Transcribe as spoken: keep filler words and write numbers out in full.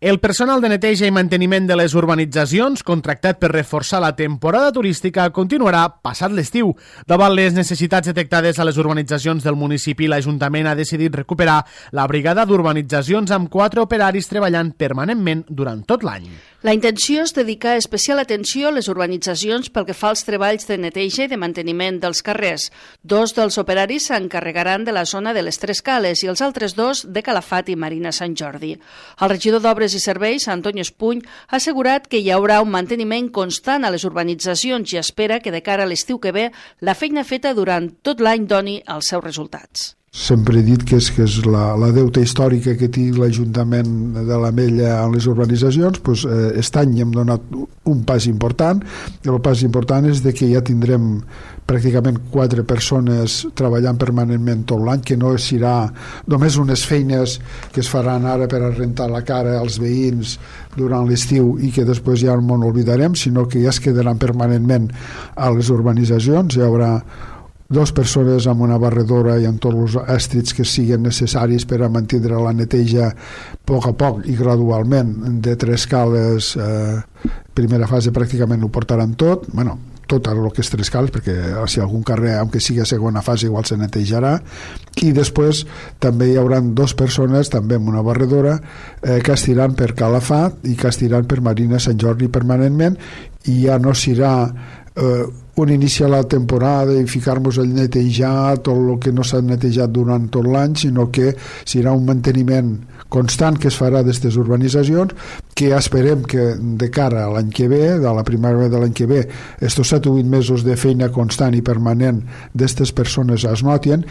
El personal de neteja i manteniment de les urbanitzacions, contractat per reforçar la temporada turística, continuarà passat l'estiu. Davant les necessitats detectades a les urbanitzacions del municipi, l'Ajuntament ha decidit recuperar la brigada d'urbanitzacions amb quatre operaris treballant permanentment durant tot l'any. La intenció és dedicar especial atenció a les urbanitzacions pel que fa als treballs de neteja i de manteniment dels carrers. Dos dels operaris s'encarregaran de la zona de les Tres Cales i els altres dos de Calafat i Marina Sant Jordi. El regidor d'Obres i Serveis, Antoni Espuny, ha assegurat que hi haurà un manteniment constant a les urbanitzacions i espera que de cara a l'estiu que ve la feina feta durant tot l'any doni els seus resultats. Sempre he dit que és, que és la, la deuta històrica que té l'Ajuntament de l'Ametlla en les urbanitzacions. Pues, eh, aquest any hem donat un pas important. El pas important és de que ja tindrem pràcticament quatre persones treballant permanentment tot l'any, que no serà només unes feines que es faran ara per a rentar la cara als veïns durant l'estiu i que després ja no n'oblidarem, sinó que ja es quedaran permanentment a les urbanitzacions. Hi haurà dues persones amb una barredora i amb tots els èstrits que siguin necessaris per a mantenir la neteja a poc a poc i gradualment de Tres Cales. Eh, primera fase pràcticament ho portaran tot, bueno, tot el que és Tres Cales, perquè si algun carrer, aunque sigui a segona fase, igual se netejarà, i després també hi haurà dues persones també amb una barredora eh, que estiran per Calafat i que estiran per Marina Sant Jordi permanentment, i ja no serà eh, un iniciar la temporada i ficar-nos a netejar tot el que no s'ha netejat durant tot l'any, sinó que serà un manteniment constant que es farà d'aquestes urbanitzacions, que esperem que de cara a l'any que ve, de la primavera de l'any que ve, estos set o vuit mesos de feina constant i permanent d'aquestes persones es notin.